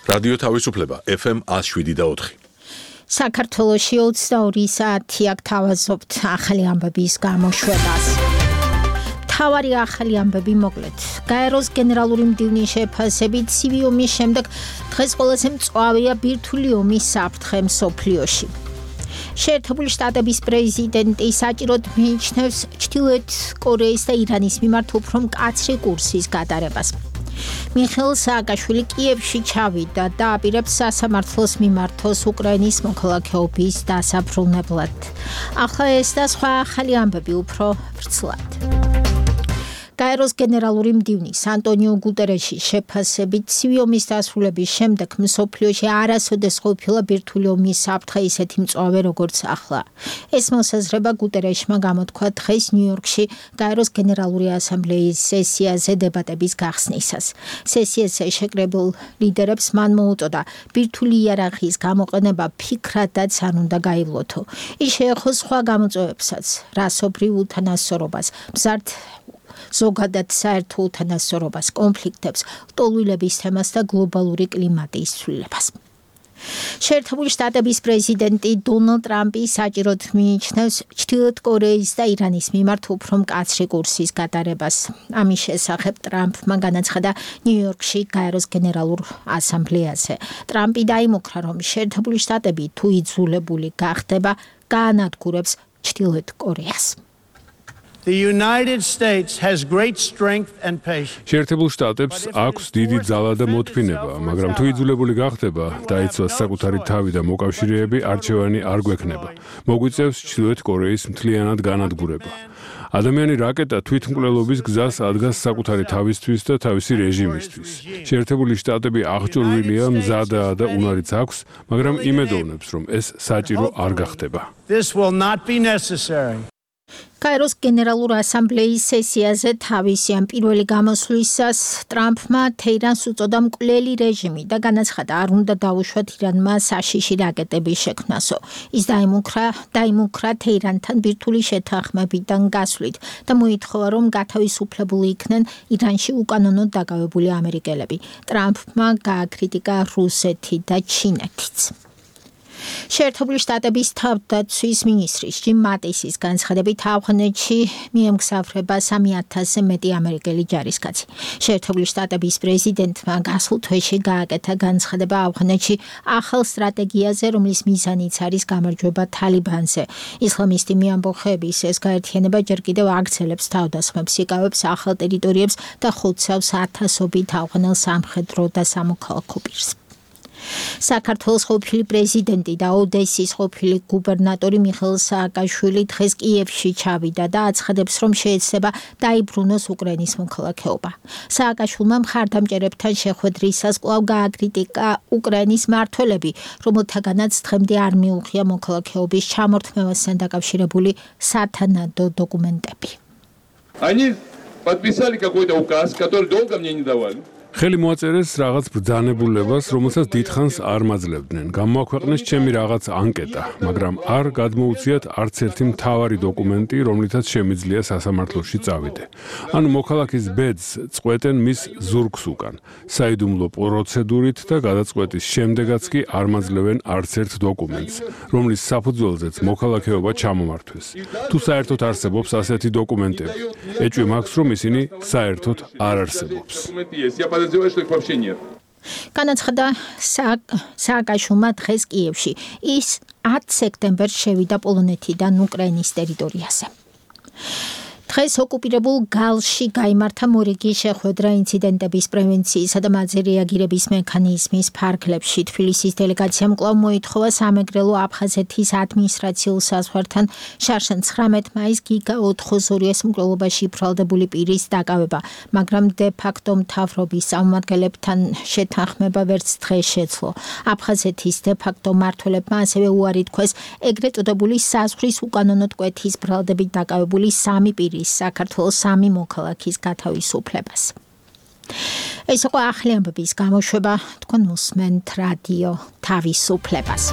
რადიო თავისუფლება FM 107.4. საქართველოში 22 საათი აქ თავაზობთ ახალი ამბების გამოშვებას. თავარი ახალი ამბები მოკლედ. გაეროს გენერალური მდივნის შეფასებით ცივი ომის შემდეგ დღეს ყველაზე მწვავეა ბირთვული ომის საფრთხე მსოფლიოში. შეერთებული შტატების პრეზიდენტი საჭიროდ მიიჩნევს ჩრდილოეთ კორეის და ირანის მიმართ უფრო მკაცრი კურსის გატარებას. მიხეილ სააკაშვილი კიევში ჩავიდა და აპირებს სასამართლოს მიმართოს უკრაინის მოქალაქეობის დასაბრუნებლად. ახლა ეს და სხვა ახალი ამბები უფრო ვრცლად. გაეროს გენერალური მდივნის ანტონიო გუტერეშის შეფასებით ცივი ომის დასრულების შემდეგ მსოფლიოში არასოდეს ყოფილა ბირთვული ომის საფრთხე ისეთი მწვავე როგორც ახლა. ეს მოსაზრება გუტერეშმა გამოთქვა დღეს ნიუ-იორკში გაეროს გენერალური ასამბლეის სესიაზე დებატების გახსნისას. სესიაზე შეკრებულ ლიდერებს მან მოუწოდა ბირთვული იერარქიის გამოყენება ფიქრადაც არ უნდა გაივლოთო. ის შეეხო სხვა გამოწვევებსაც, რასობრივ უთანასწორობას, მზარდ ზოგადად საერთო უთანასწორობას, კონფლიქტებს, ლტოლვილების თემას და გლობალური კლიმატის ცვლილებას. შეერთებული შტატების პრეზიდენტი დონალდ ტრამპი საჭიროდ მიიჩნევს ჩრდილოეთ კორეის და ირანის მიმართ უფრო მკაცრი კურსის გატარებას. ამის შესახებ ტრამპმა განაცხადა ნიუ-იორკში გაეროს გენერალურ ასამბლეაზე. ტრამპი დაიმუქრა, რომ შეერთებული შტატები თუ იძულებული გახდება, გაანადგურებს ჩრდილოეთ კორეას. The United States has great strength and patience. შეერთებულ შტატებს აქვს დიდი ძალა და მოთმინება, მაგრამ თუ იძულებული გახდება, დაიცვას საკუთარი თავი და მოკავშირეები, არჩევანი არ გვექნება. მოგვიწევს ჩრდილოეთ კორეის მთლიანად განადგურება. ადამიანი რაკეტა თვითმკვლელობის გზას ადგას საკუთარი თავისთვის და თავისი რეჟიმისთვის. შეერთებული შტატები აღჭურვილია, მზადაა და უნარიც აქვს, მაგრამ იმედოვნებს, რომ ეს საჭირო არ გახდება. This will not be necessary. გაეროს გენერალურ ასამბლეის სესიაზე თავისი ამ პირველი გამოსვლისას ტრამპმა თეირანს უწოდა მკვლელი რეჟიმი და განაცხადა, არ უნდა დაუშვათ ირანმა საშიში რაკეტების შექმნასო. ის დაიმუქრა თეირანთან ბირთვული შეთანხმებიდან გასვლით და მოითხოვა, რომ გათავისუფლებული იქნენ ირანში უკანონოდ დაკავებული ამერიკელები. ტრამპმა გააკრიტიკა რუსეთი და ჩინეთიც. შეერთებული შტატების თავდაცვის მინისტრის ჯიმ მატისის განცხადებით ავღანეთში მიემგზავრება 3,000-ზე მეტი ამერიკელი ჯარისკაცი. შეერთებული შტატების პრეზიდენტმა გასულ თვეში გააკეთა განცხადება ავღანეთში ახალ სტრატეგიაზე, რომლის მიზანიც არის გამარჯვება თალიბანზე. ისლამისტი მიამბოხების ეს გაერთიანება ჯერ კიდევ აგრძელებს თავდასხმებს, იკავებს ახალ ტერიტორიებს და ხოცავს ათასობით ავღანელ სამხედრო და სამოქალაქო პირს. საქართველოს ყოფილი პრეზიდენტი და ოდესის ყოფილი გუბერნატორი მიხეილ სააკაშვილი დღეს კიევში ჩავიდა და აცხადებს, რომ შეეცდება დაიბრუნოს უკრაინის მოქალაქეობა. სააკაშვილმა მხარდამჭერებთან შეხვედრისას კვლავ გააკრიტიკა უკრაინის მმართველები, რომელთაგანაც დღემდე არ მიუღია მოქალაქეობის ჩამორთმევასთან დაკავშირებული სათანადო დოკუმენტები. Они подписали какой-то указ, который долго мне не давали. ხელი მოაწერეს რაღაც ბრძანებულებას, რომელსაც დიდხანს არ მაძლევდნენ. გამოაქვეყნეს ჩემი რაღაც ანკეტა, მაგრამ არ გადმოუციათ არც ერთი მთავარი დოკუმენტი, რომლითაც შემიძლია სასამართლოში წავიდე. ანუ მოქალაქის ბედს წყვეტენ მის ზურგს უკან. საიდუმლო პროცედურით და გადაწყვეტის შემდეგაც კი არ მაძლევენ არც ერთ დოკუმენტს, რომლის საფუძველზეც მოქალაქეობა ჩამომართვეს. თუ საერთოდ არსებობს ასეთი დოკუმენტები, ეჭვი მაქვს, რომ ისინი საერთოდ არ არსებობს. განაცხადა სააკაშვილმა დღეს კიევში. ის 10 სექტემბერს შევიდა პოლონეთიდან უკრაინის ტერიტორიაზე. დღეს ოკუპირებულ გალში გაიმართა მორიგი შეხვედრა ინციდენტების პრევენციისა და მათზე რეაგირების მექანიზმის ფარგლებში. თბილისის დელეგაციამ კვლავ მოითხოვა სამეგრელო აფხაზეთის ადმინისტრაციულ საზღვართან შარშან 19 მაისს გიგა 402-ის მკვლელობაში ბრალდებული პირის დაკავება, მაგრამ დე-ფაქტო მთავრობის წარმომადგენლებთან შეთანხმება ვერც დღეს შეძლო. აფხაზეთის დე-ფაქტო მმართველებმა ასევე უარი თქვეს ეგრეთ წოდებული საზღვრის უკანონოდ კვეთის ბრალდებით დაკავებული 3 პირი საქართველოს 3 მოქალაქის გათავისუფლებას. ეს იყო ახალი ამბების გამოშვება, თქვენ უსმენთ რადიო თავისუფლებას.